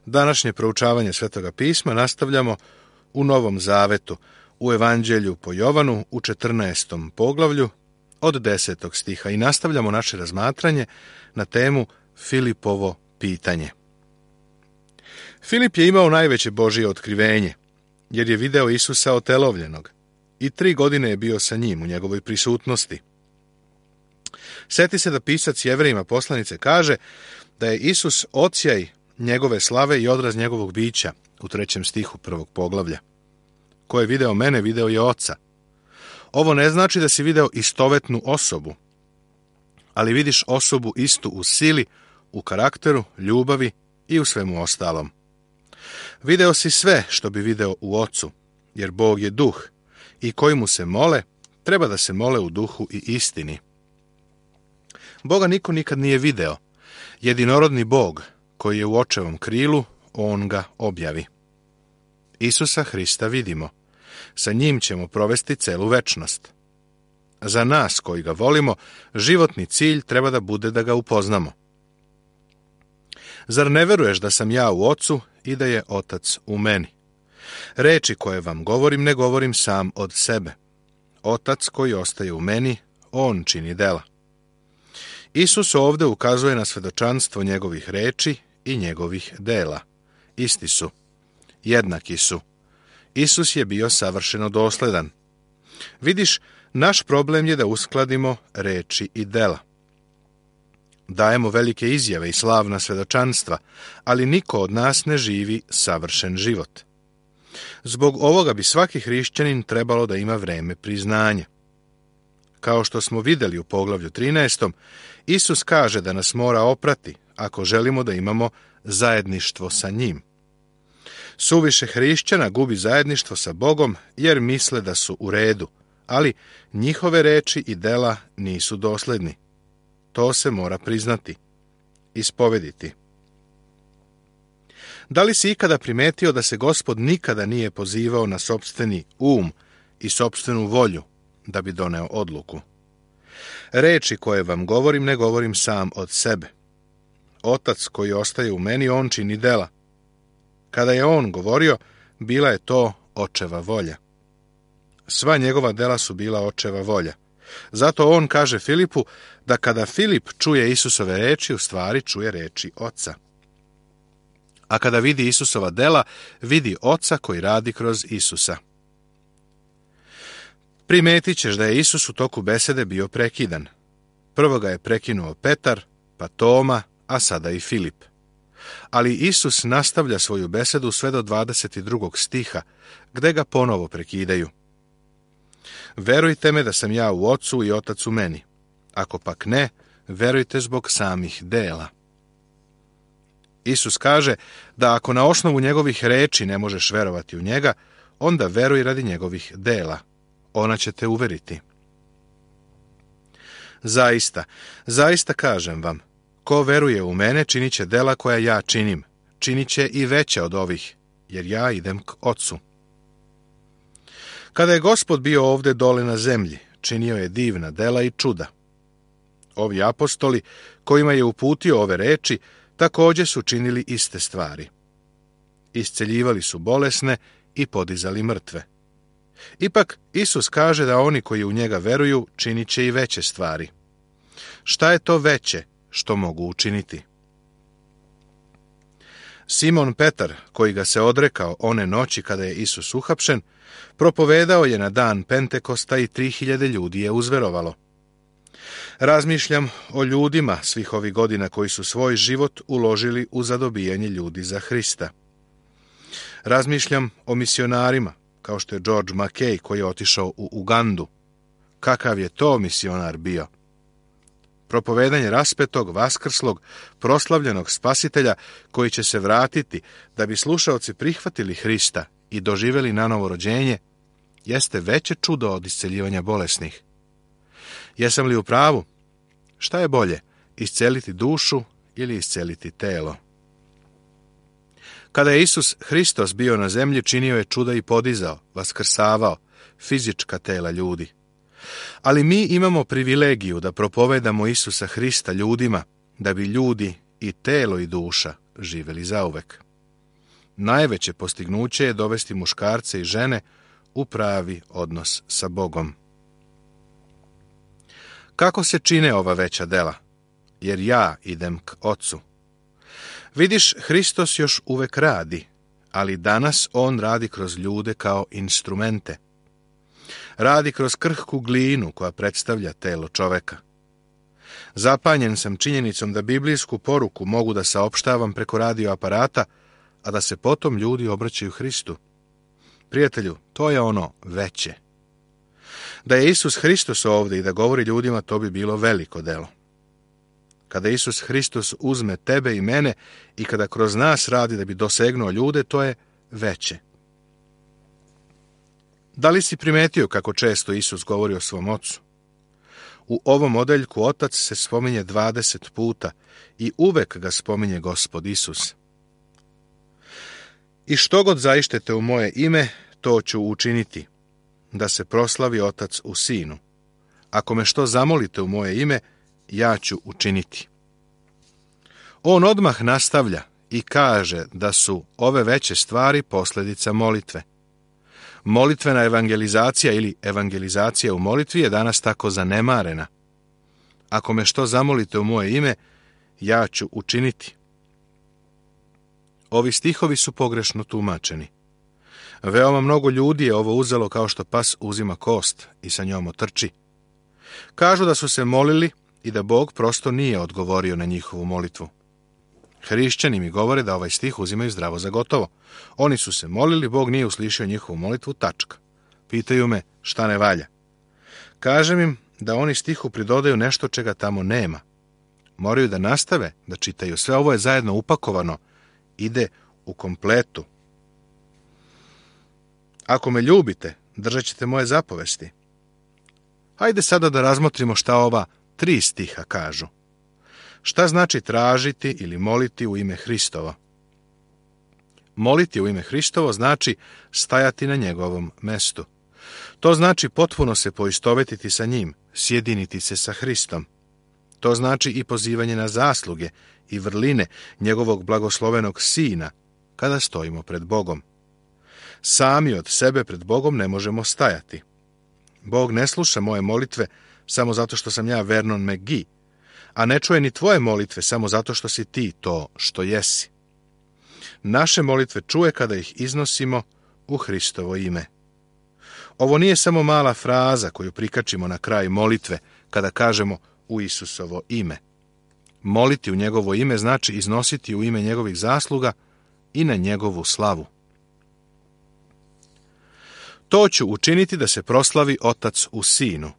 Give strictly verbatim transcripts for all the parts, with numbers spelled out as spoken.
Današnje proučavanje Svetoga pisma nastavljamo u Novom Zavetu, u Evanđelju po Jovanu, u četrnaestom poglavlju, od desetog stiha i nastavljamo naše razmatranje na temu Filipovo pitanje. Filip je imao najveće Božje otkrivenje, jer je video Isusa otelovljenog i tri godine je bio sa njim u njegovoj prisutnosti. Sjeti se da pisac Jevrejima poslanice kaže da je Isus odsjaj njegove slave i odraz njegovog bića u trećem stihu prvog poglavlja. Ko je video mene, video je Oca. Ovo ne znači da si video istovetnu osobu, ali vidiš osobu istu u sili, u karakteru, ljubavi i u svemu ostalom. Video si sve što bi video u Ocu, jer Bog je duh i koji mu se mole, treba da se mole u duhu i istini. Boga niko nikad nije video. Jedinorodni Bog, koji je u očevom krilu, on ga objavi. Isusa Hrista vidimo. Sa njim ćemo provesti celu večnost. Za nas koji ga volimo, životni cilj treba da bude da ga upoznamo. Zar ne veruješ da sam ja u Ocu i da je Otac u meni? Reči koje vam govorim ne govorim sam od sebe. Otac koji ostaje u meni, on čini dela. Isus ovde ukazuje na svedočanstvo njegovih reči i njegovih dela. Isti su. Jednaki su. Isus je bio savršeno dosledan. Vidiš, naš problem je da uskladimo reči i dela. Dajemo velike izjave i slavna svedočanstva, ali niko od nas ne živi savršen život. Zbog ovoga bi svaki hrišćanin trebalo da ima vreme priznanja. Kao što smo vidjeli u poglavlju trinaestom, Isus kaže da nas mora oprati ako želimo da imamo zajedništvo sa njim. Suviše hrišćana gubi zajedništvo sa Bogom jer misle da su u redu, ali njihove reči i dela nisu dosledni. To se mora priznati, ispovediti. Da li si ikada primetio da se Gospod nikada nije pozivao na sopstveni um i sopstvenu volju da bi doneo odluku? Reči koje vam govorim ne govorim sam od sebe. Otac koji ostaje u meni, on čini dela. Kada je on govorio, bila je to očeva volja. Sva njegova dela su bila očeva volja. Zato on kaže Filipu da kada Filip čuje Isusove reči, u stvari čuje reči Oca. A kada vidi Isusova dela, vidi Oca koji radi kroz Isusa. Primetit ćeš da je Isus u toku besede bio prekidan. Prvo ga je prekinuo Petar, pa Toma, a sada i Filip. Ali Isus nastavlja svoju besedu sve do dvadeset drugog stiha, gde ga ponovo prekidaju. Verujte me da sam ja u Ocu i Otac u meni. Ako pak ne, verujte zbog samih dela. Isus kaže da ako na osnovu njegovih reči ne možeš verovati u njega, onda veruj radi njegovih dela. Ona će te uveriti. Zaista, zaista kažem vam, ko veruje u mene činit će dela koja ja činim, činit će i veće od ovih, jer ja idem k Ocu. Kada je Gospod bio ovde dole na zemlji, činio je divna dela i čuda. Ovi apostoli, kojima je uputio ove reči, također su činili iste stvari. Isceljivali su bolesne i podizali mrtve. Ipak, Isus kaže da oni koji u njega veruju činit će i veće stvari. Šta je to veće što mogu učiniti? Simon Petar, koji ga se odrekao one noći kada je Isus uhapšen, propovedao je na dan Pentekosta i tri hiljade ljudi je uzverovalo. Razmišljam o ljudima svih ovih godina koji su svoj život uložili u zadobijanje ljudi za Hrista. Razmišljam o misionarima, kao što je George Mackay koji je otišao u Ugandu. Kakav je to misionar bio? Propovedanje raspetog, vaskrslog, proslavljenog spasitelja koji će se vratiti da bi slušaoci prihvatili Hrista i doživjeli nanovo rođenje, jeste veće čudo od isceljivanja bolesnih. Jesam li u pravu? Šta je bolje, isceliti dušu ili isceliti telo? Kada je Isus Hristos bio na zemlji, činio je čuda i podizao, vaskrsavao fizička tela ljudi. Ali mi imamo privilegiju da propovedamo Isusa Hrista ljudima, da bi ljudi i telo i duša živjeli zauvek. Najveće postignuće je dovesti muškarce i žene u pravi odnos sa Bogom. Kako se čine ova veća dela? Jer ja idem k Ocu. Vidiš, Hristos još uvek radi, ali danas on radi kroz ljude kao instrumente. Radi kroz krhku glinu koja predstavlja telo čoveka. Zapanjen sam činjenicom da biblijsku poruku mogu da saopštavam preko radio aparata, a da se potom ljudi obraćaju Hristu. Prijatelju, to je ono veće. Da je Isus Hristos ovdje i da govori ljudima, to bi bilo veliko delo. Kada Isus Hristos uzme tebe i mene i kada kroz nas radi da bi dosegnuo ljude, to je veće. Da li si primetio kako često Isus govori o svom Ocu? U ovom odeljku Otac se spominje dvadeset puta i uvek ga spominje Gospod Isus. I što god zaištete u moje ime, to ću učiniti, da se proslavi Otac u Sinu. Ako me što zamolite u moje ime, ja ću učiniti. On odmah nastavlja i kaže da su ove veće stvari posljedica molitve. Molitvena evangelizacija ili evangelizacija u molitvi je danas tako zanemarena. Ako me što zamolite u moje ime, ja ću učiniti. Ovi stihovi su pogrešno tumačeni. Veoma mnogo ljudi je ovo uzelo kao što pas uzima kost i sa njom otrči. Kažu da su se molili i da Bog prosto nije odgovorio na njihovu molitvu. Hrišćani mi govore da ovaj stih uzimaju zdravo za gotovo. Oni su se molili, Bog nije uslišio njihovu molitvu, tačka. Pitaju me šta ne valja. Kažem im da oni stihu pridodaju nešto čega tamo nema. Moraju da nastave da čitaju. Sve ovo je zajedno upakovano. Ide u kompletu. Ako me ljubite, držat ćete moje zapovesti. Hajde sada da razmotrimo šta ova tri stiha kažu. Šta znači tražiti ili moliti u ime Hristovo? Moliti u ime Hristovo znači stajati na njegovom mestu. To znači potpuno se poistovetiti sa njim, sjediniti se sa Hristom. To znači i pozivanje na zasluge i vrline njegovog blagoslovenog Sina kada stojimo pred Bogom. Sami od sebe pred Bogom ne možemo stajati. Bog ne sluša moje molitve samo zato što sam ja Vernon McGee, a ne čuje ni tvoje molitve samo zato što si ti to što jesi. Naše molitve čuje kada ih iznosimo u Hristovo ime. Ovo nije samo mala fraza koju prikačimo na kraj molitve kada kažemo u Isusovo ime. Moliti u njegovo ime znači iznositi u ime njegovih zasluga i na njegovu slavu. To ću učiniti da se proslavi Otac u Sinu.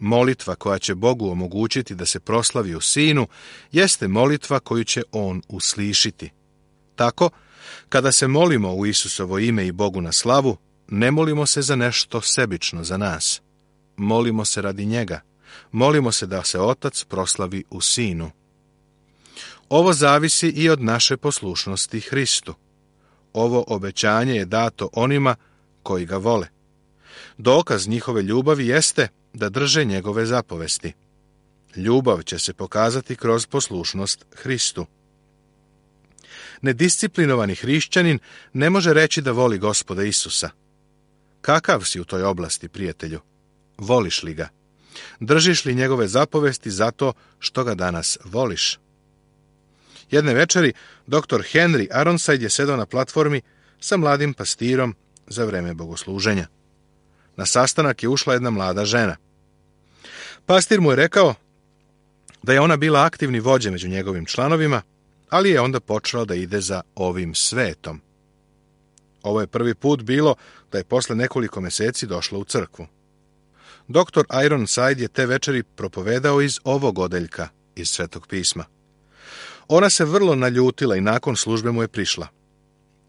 Molitva koja će Bogu omogućiti da se proslavi u Sinu jeste molitva koju će On uslišiti. Tako, kada se molimo u Isusovo ime i Bogu na slavu, ne molimo se za nešto sebično za nas. Molimo se radi njega. Molimo se da se Otac proslavi u Sinu. Ovo zavisi i od naše poslušnosti Hristu. Ovo obećanje je dato onima koji ga vole. Dokaz njihove ljubavi jeste da drže njegove zapovesti. Ljubav će se pokazati kroz poslušnost Hristu. Nedisciplinovani hrišćanin ne može reći da voli Gospoda Isusa. Kakav si u toj oblasti, prijatelju? Voliš li ga? Držiš li njegove zapovesti zato što ga danas voliš? Jedne večeri doktor Henry Aronside je sedao na platformi sa mladim pastirom za vreme bogosluženja. Na sastanak je ušla jedna mlada žena. Pastir mu je rekao da je ona bila aktivni vođa među njegovim članovima, ali je onda počela da ide za ovim svetom. Ovo je prvi put bilo da je posle nekoliko meseci došla u crkvu. Doktor Ironside je te večeri propovedao iz ovog odeljka iz Svetog pisma. Ona se vrlo naljutila i nakon službe mu je prišla.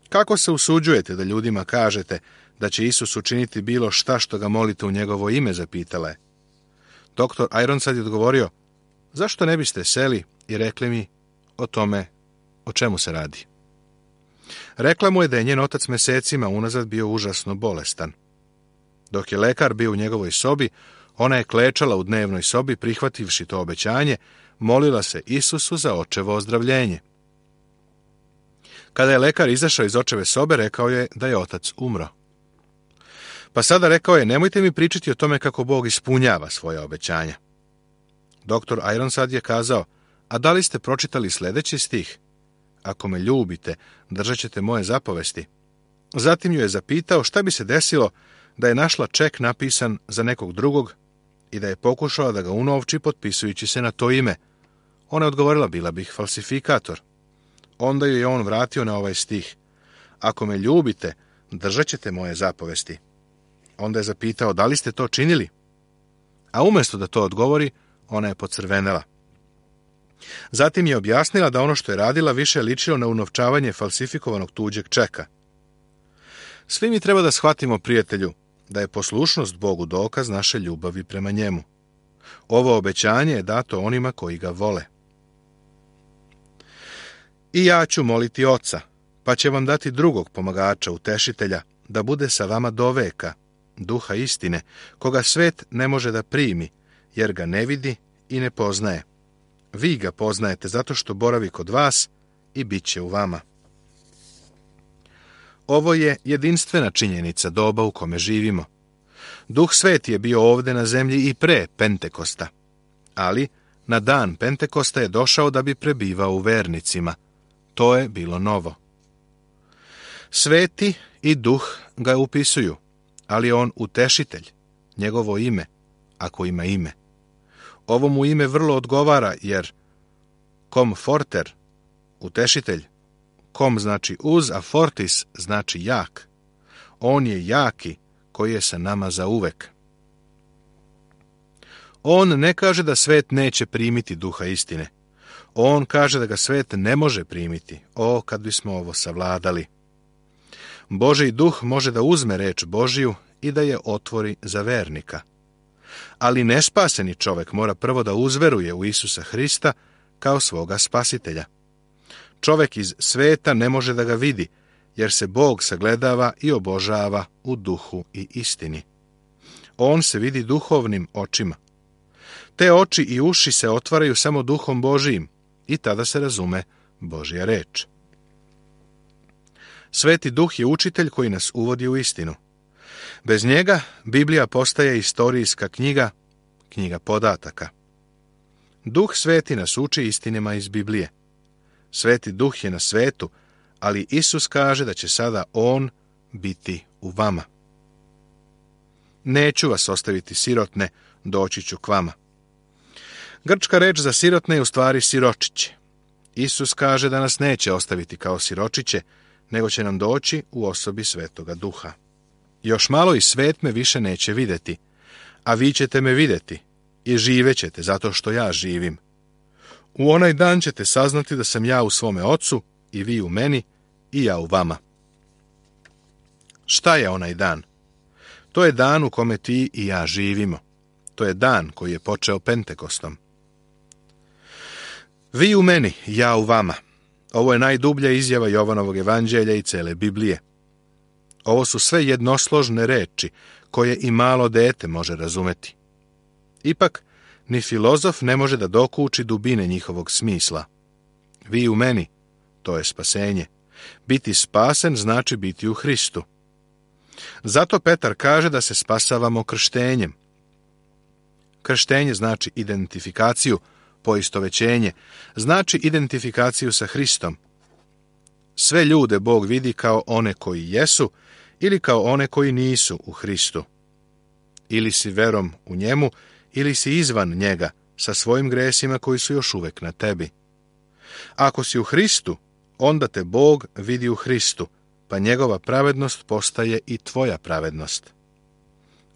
Kako se usuđujete da ljudima kažete da će Isus učiniti bilo šta što ga molite u njegovo ime, zapitala je. Doktor Ironside je odgovorio, zašto ne biste seli i rekli mi o tome o čemu se radi. Rekla mu je da je njen otac mesecima unazad bio užasno bolestan. Dok je lekar bio u njegovoj sobi, ona je klečala u dnevnoj sobi, prihvativši to obećanje, molila se Isusu za očevo ozdravljenje. Kada je lekar izašao iz očeve sobe, rekao je da je otac umro. Pa sada rekao je, nemojte mi pričati o tome kako Bog ispunjava svoja obećanja. Doktor Ironside je kazao, a da li ste pročitali sljedeći stih? Ako me ljubite, držat ćete moje zapovesti. Zatim ju je zapitao šta bi se desilo da je našla ček napisan za nekog drugog i da je pokušala da ga unovči potpisujući se na to ime. Ona je odgovorila, bila bih falsifikator. Onda ju je on vratio na ovaj stih. Ako me ljubite, držat ćete moje zapovesti. Onda je zapitao, da li ste to činili? A umjesto da to odgovori, ona je pocrvenela. Zatim je objasnila da ono što je radila više ličilo na unovčavanje falsifikovanog tuđeg čeka. Svi mi treba da shvatimo, prijatelju, da je poslušnost Bogu dokaz naše ljubavi prema njemu. Ovo obećanje je dato onima koji ga vole. I ja ću moliti Oca, pa će vam dati drugog pomagača, utešitelja, da bude sa vama do veka, duha istine, koga svet ne može da primi, jer ga ne vidi i ne poznaje. Vi ga poznajete zato što boravi kod vas i bit će u vama. Ovo je jedinstvena činjenica doba u kome živimo. Duh Sveti je bio ovdje na zemlji i pre Pentekosta, ali na dan Pentekosta je došao da bi prebivao u vernicima. To je bilo novo. Sveti i Duh ga upisuju, ali on utešitelj, njegovo ime, ako ima ime. Ovo mu ime vrlo odgovara, jer komforter, utešitelj, kom znači uz, a fortis znači jak. On je jaki koji je sa nama za uvek. On ne kaže da svet neće primiti duha istine. On kaže da ga svet ne može primiti. O, kad bismo ovo savladali. Božji duh može da uzme reč Božiju i da je otvori za vernika. Ali nespaseni čovjek mora prvo da uzveruje u Isusa Hrista kao svoga spasitelja. Čovjek iz sveta ne može da ga vidi, jer se Bog sagledava i obožava u duhu i istini. On se vidi duhovnim očima. Te oči i uši se otvaraju samo duhom Božijim i tada se razume Božja reč. Sveti duh je učitelj koji nas uvodi u istinu. Bez njega Biblija postaje istorijska knjiga, knjiga podataka. Duh Sveti nas uči istinama iz Biblije. Sveti duh je na svetu, ali Isus kaže da će sada on biti u vama. Neću vas ostaviti sirotne, doći ću k vama. Grčka reč za sirotne je u stvari siročiće. Isus kaže da nas neće ostaviti kao siročiće, nego će nam doći u osobi Svetoga Duha. Još malo i svet me više neće vidjeti, a vi ćete me vidjeti i živećete zato što ja živim. U onaj dan ćete saznati da sam ja u svome Ocu i vi u meni i ja u vama. Šta je onaj dan? To je dan u kome ti i ja živimo. To je dan koji je počeo Pentekostom. Vi u meni, ja u vama. Ovo je najdublja izjava Jovanovog evanđelja i cele Biblije. Ovo su sve jednosložne reči koje i malo dete može razumeti. Ipak, ni filozof ne može da dokuči dubine njihovog smisla. Vi u meni, to je spasenje. Biti spasen znači biti u Hristu. Zato Petar kaže da se spasavamo krštenjem. Krštenje znači identifikaciju, poistovećenje, znači identifikaciju sa Hristom. Sve ljude Bog vidi kao one koji jesu ili kao one koji nisu u Hristu. Ili si verom u njemu, ili si izvan njega sa svojim gresima koji su još uvek na tebi. Ako si u Hristu, onda te Bog vidi u Hristu, pa njegova pravednost postaje i tvoja pravednost.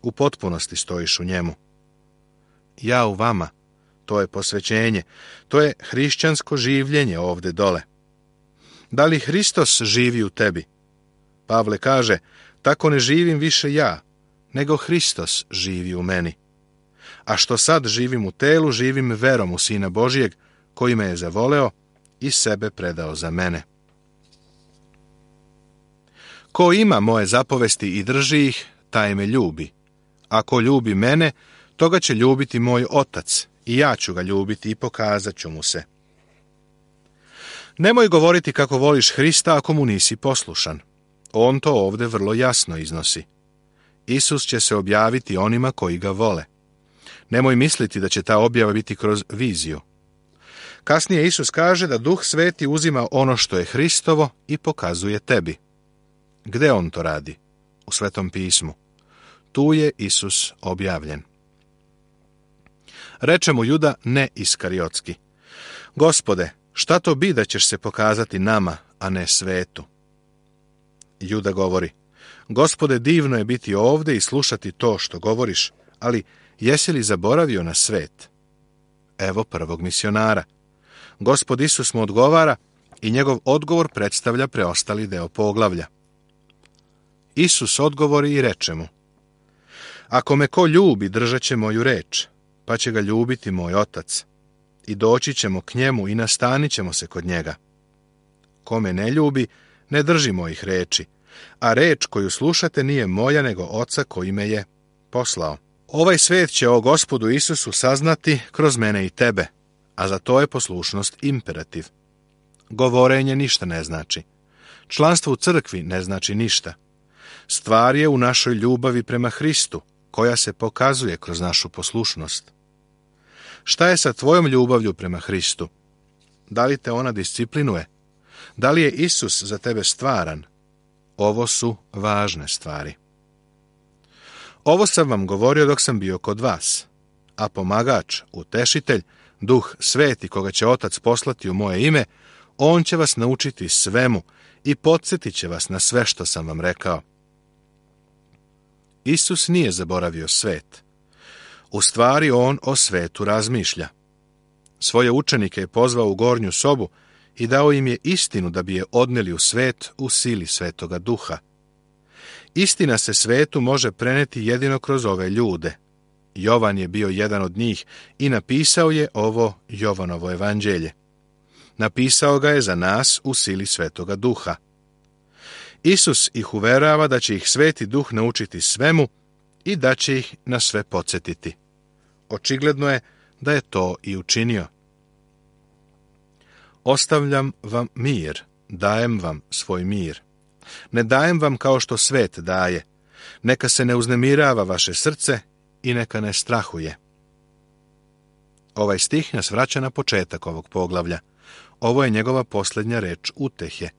U potpunosti stojiš u njemu. Ja u vama, to je posvećenje, to je hrišćansko življenje ovde dole. Da li Hristos živi u tebi? Pavle kaže, tako ne živim više ja, nego Hristos živi u meni. A što sad živim u telu, živim verom u Sina Božijeg, koji me je zavoleo i sebe predao za mene. Ko ima moje zapovesti i drži ih, taj me ljubi. A ko ljubi mene, toga će ljubiti moj Otac, i ja ću ga ljubiti i pokazat ću mu se. Nemoj govoriti kako voliš Hrista ako mu nisi poslušan. On to ovdje vrlo jasno iznosi. Isus će se objaviti onima koji ga vole. Nemoj misliti da će ta objava biti kroz viziju. Kasnije Isus kaže da Duh Sveti uzima ono što je Hristovo i pokazuje tebi. Gde on to radi? U Svetom pismu. Tu je Isus objavljen. Reče mu Juda ne iskariotski: Gospode, šta to bi da ćeš se pokazati nama, a ne svetu? Juda govori: Gospode, divno je biti ovdje i slušati to što govoriš, ali jesi li zaboravio na svet? Evo prvog misionara. Gospod Isus mu odgovara i njegov odgovor predstavlja preostali deo poglavlja. Isus odgovori i reče mu: Ako me ko ljubi, držat će moju reč, pa će ga ljubiti moj Otac, i doći ćemo k njemu i nastanit ćemo se kod njega. Ko me ne ljubi, ne drži mojih reči, a reč koju slušate nije moja, nego Oca koji me je poslao. Ovaj svet će o Gospodu Isusu saznati kroz mene i tebe, a za to je poslušnost imperativ. Govorenje ništa ne znači. Članstvo u crkvi ne znači ništa. Stvar je u našoj ljubavi prema Hristu, koja se pokazuje kroz našu poslušnost. Šta je sa tvojom ljubavlju prema Hristu? Da li te ona disciplinuje? Da li je Isus za tebe stvaran? Ovo su važne stvari. Ovo sam vam govorio dok sam bio kod vas, a pomagač, utešitelj, Duh Sveti koga će Otac poslati u moje ime, on će vas naučiti svemu i podsjetit će vas na sve što sam vam rekao. Isus nije zaboravio svet. U stvari on o svetu razmišlja. Svoje učenike je pozvao u gornju sobu i dao im je istinu da bi je odneli u svet u sili Svetoga Duha. Istina se svetu može preneti jedino kroz ove ljude. Jovan je bio jedan od njih i napisao je ovo Jovanovo evanđelje. Napisao ga je za nas u sili Svetoga Duha. Isus ih uverava da će ih Sveti Duh naučiti svemu i da će ih na sve podsjetiti. Očigledno je da je to i učinio. Ostavljam vam mir, dajem vam svoj mir. Ne dajem vam kao što svet daje. Neka se ne uznemirava vaše srce i neka ne strahuje. Ovaj stih nas vraća na početak ovog poglavlja. Ovo je njegova posljednja reč utehe.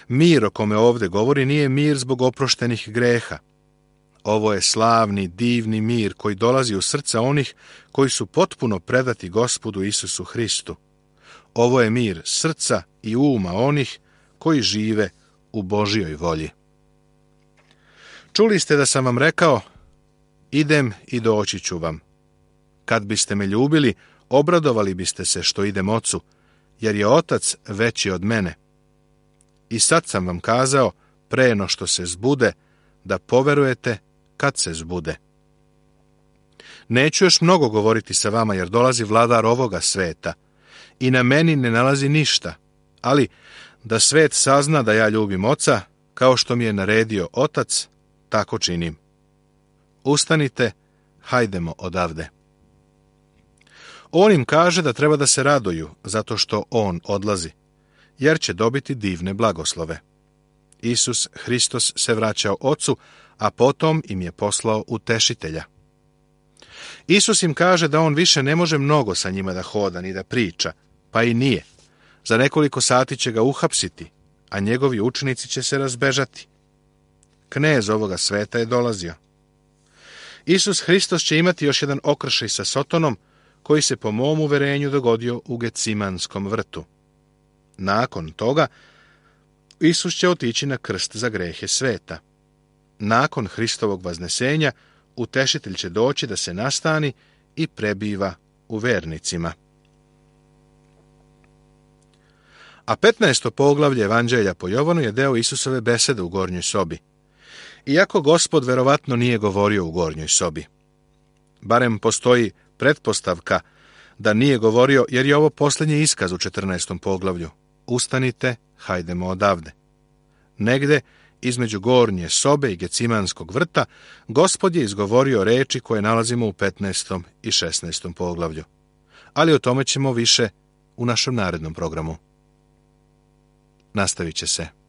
Mir o kome ovdje govori nije mir zbog oproštenih greha. Ovo je slavni, divni mir koji dolazi u srca onih koji su potpuno predati Gospodu Isusu Hristu. Ovo je mir srca i uma onih koji žive u Božjoj volji. Čuli ste da sam vam rekao: idem i doći ću vam. Kad biste me ljubili, obradovali biste se što idem Ocu, jer je Otac veći od mene. I sad sam vam kazao, pre no što se zbude, da poverujete kad se zbude. Neću još mnogo govoriti sa vama, jer dolazi vladar ovoga sveta i na meni ne nalazi ništa, ali da svet sazna da ja ljubim Oca, kao što mi je naredio Otac, tako činim. Ustanite, hajdemo odavde. On im kaže da treba da se raduju, zato što on odlazi, jer će dobiti divne blagoslove. Isus Hristos se vraćao Ocu, a potom im je poslao utešitelja. Isus im kaže da on više ne može mnogo sa njima da hoda ni da priča, pa i nije. Za nekoliko sati će ga uhapsiti, a njegovi učenici će se razbežati. Knez ovoga sveta je dolazio. Isus Hristos će imati još jedan okršaj sa Sotonom, koji se po mom uverenju dogodio u Gecimanskom vrtu. Nakon toga, Isus će otići na krst za grehe sveta. Nakon Hristovog vaznesenja, utešitelj će doći da se nastani i prebiva u vernicima. A petnaesto poglavlje Evanđelja po Jovanu je deo Isusove besede u gornjoj sobi. Iako Gospod verovatno nije govorio u gornjoj sobi. Barem postoji pretpostavka da nije govorio, jer je ovo posljednji iskaz u četrnaestom poglavlju. Ustanite, hajdemo odavde. Negde, između gornje sobe i Gecimanskog vrta, Gospod je izgovorio reči koje nalazimo u petnaestom i šesnaestom poglavlju. Ali o tome ćemo više u našem narednom programu. nastavit će se.